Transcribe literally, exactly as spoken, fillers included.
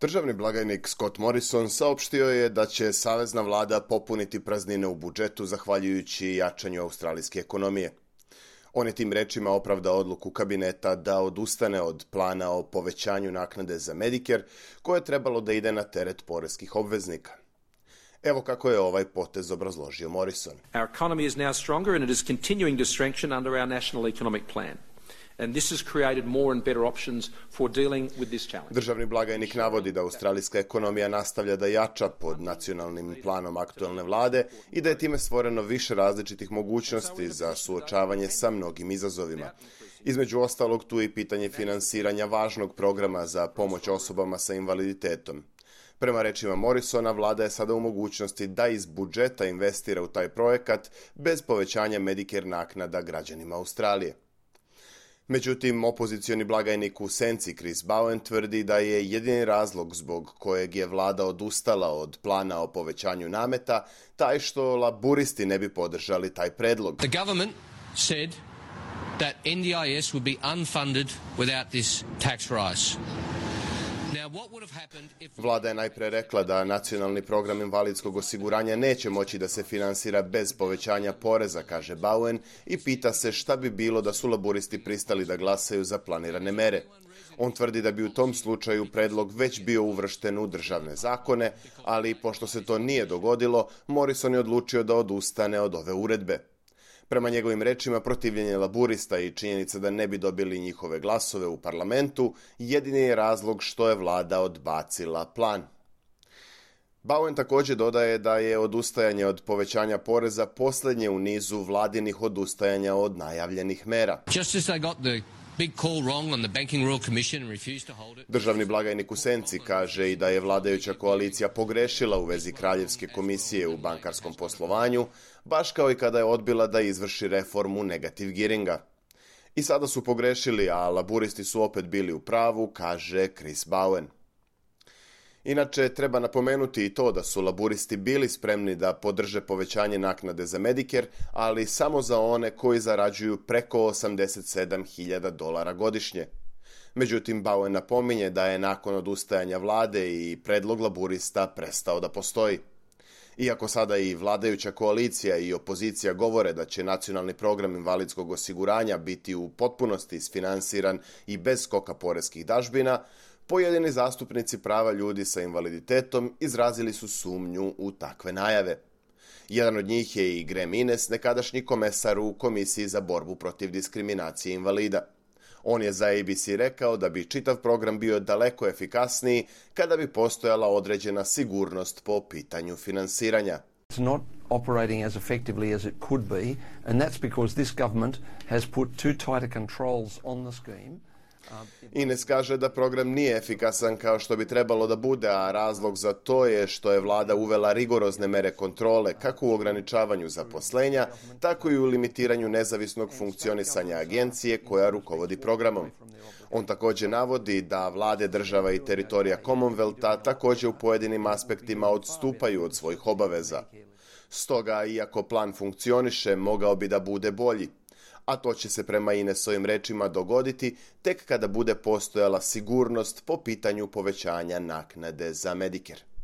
Državni blagajnik Scott Morrison saopštio je da će savezna vlada popuniti praznine u budžetu zahvaljujući jačanju australijske ekonomije. On je tim rečima opravdao odluku kabineta da odustane od plana o povećanju naknade za Medicare, koje je trebalo da ide na teret poreskih obveznika. Evo kako je ovaj potez obrazložio Morrison. Our economy is now stronger and it is continuing to strengthen under our national economic plan. And this has created more and better options for dealing with this challenge. Državni blagajnik navodi da australijska ekonomija nastavlja da jača pod nacionalnim planom aktuelne vlade i da je time stvoreno više različitih mogućnosti za suočavanje sa mnogim izazovima. Između ostalog, tu je i pitanje finansiranja važnog programa za pomoć osobama sa invaliditetom. Prema rečima Morrisona, vlada je sada u mogućnosti da iz budžeta investira u taj projekat bez povećanja Medicare naknada građanima Australije. Međutim, opozicioni blagajnik u senci Chris Bowen tvrdi da je jedini razlog zbog kojeg je vlada odustala od plana o povećanju nameta taj što laburisti ne bi podržali taj predlog. The government said that N D I S would be unfunded without this tax rise. Vlada je najpre rekla da nacionalni program invalidskog osiguranja neće moći da se finansira bez povećanja poreza, kaže Bowen, i pita se šta bi bilo da su laburisti pristali da glasaju za planirane mere. On tvrdi da bi u tom slučaju predlog već bio uvršten u državne zakone, ali pošto se to nije dogodilo, Morrison je odlučio da odustane od ove uredbe. Prema njegovim rečima, protivljenje laburista i činjenica da ne bi dobili njihove glasove u parlamentu jedini je razlog što je vlada odbacila plan. Bowen također dodaje da je odustajanje od povećanja poreza posljednje u nizu vladinih odustajanja od najavljenih mera. Državni blagajnik u senci kaže i da je vladajuća koalicija pogrešila u vezi Kraljevske komisije u bankarskom poslovanju, baš kao i kada je odbila da izvrši reformu negative gearinga. I sada su pogrešili, a laburisti su opet bili u pravu, kaže Chris Bowen. Inače, treba napomenuti i to da su laburisti bili spremni da podrže povećanje naknade za Medicare, ali samo za one koji zarađuju preko osamdeset sedam hiljada dolara godišnje. Međutim, Bowen napominje da je nakon odustajanja vlade i predlog laburista prestao da postoji. Iako sada i vladajuća koalicija i opozicija govore da će nacionalni program invalidskog osiguranja biti u potpunosti isfinansiran i bez skoka poreskih dažbina, pojedini zastupnici prava ljudi sa invaliditetom izrazili su sumnju u takve najave. Jedan od njih je i Graham Innes, nekadašnji komesar u Komisiji za borbu protiv diskriminacije invalida. On je za A B C rekao da bi čitav program bio daleko efikasniji kada bi postojala određena sigurnost po pitanju finansiranja. It's not operating as effectively as it could be, and that's because this government has put too tight a controls on the scheme. Ines kaže da program nije efikasan kao što bi trebalo da bude, a razlog za to je što je vlada uvela rigorozne mere kontrole kako u ograničavanju zaposlenja, tako i u limitiranju nezavisnog funkcionisanja agencije koja rukovodi programom. On također navodi da vlade država i teritorija Commonwealtha također u pojedinim aspektima odstupaju od svojih obaveza. Stoga, iako plan funkcioniše, mogao bi da bude bolji. A to će se prema Inesovim rečima dogoditi tek kada bude postojala sigurnost po pitanju povećanja naknade za Medicare.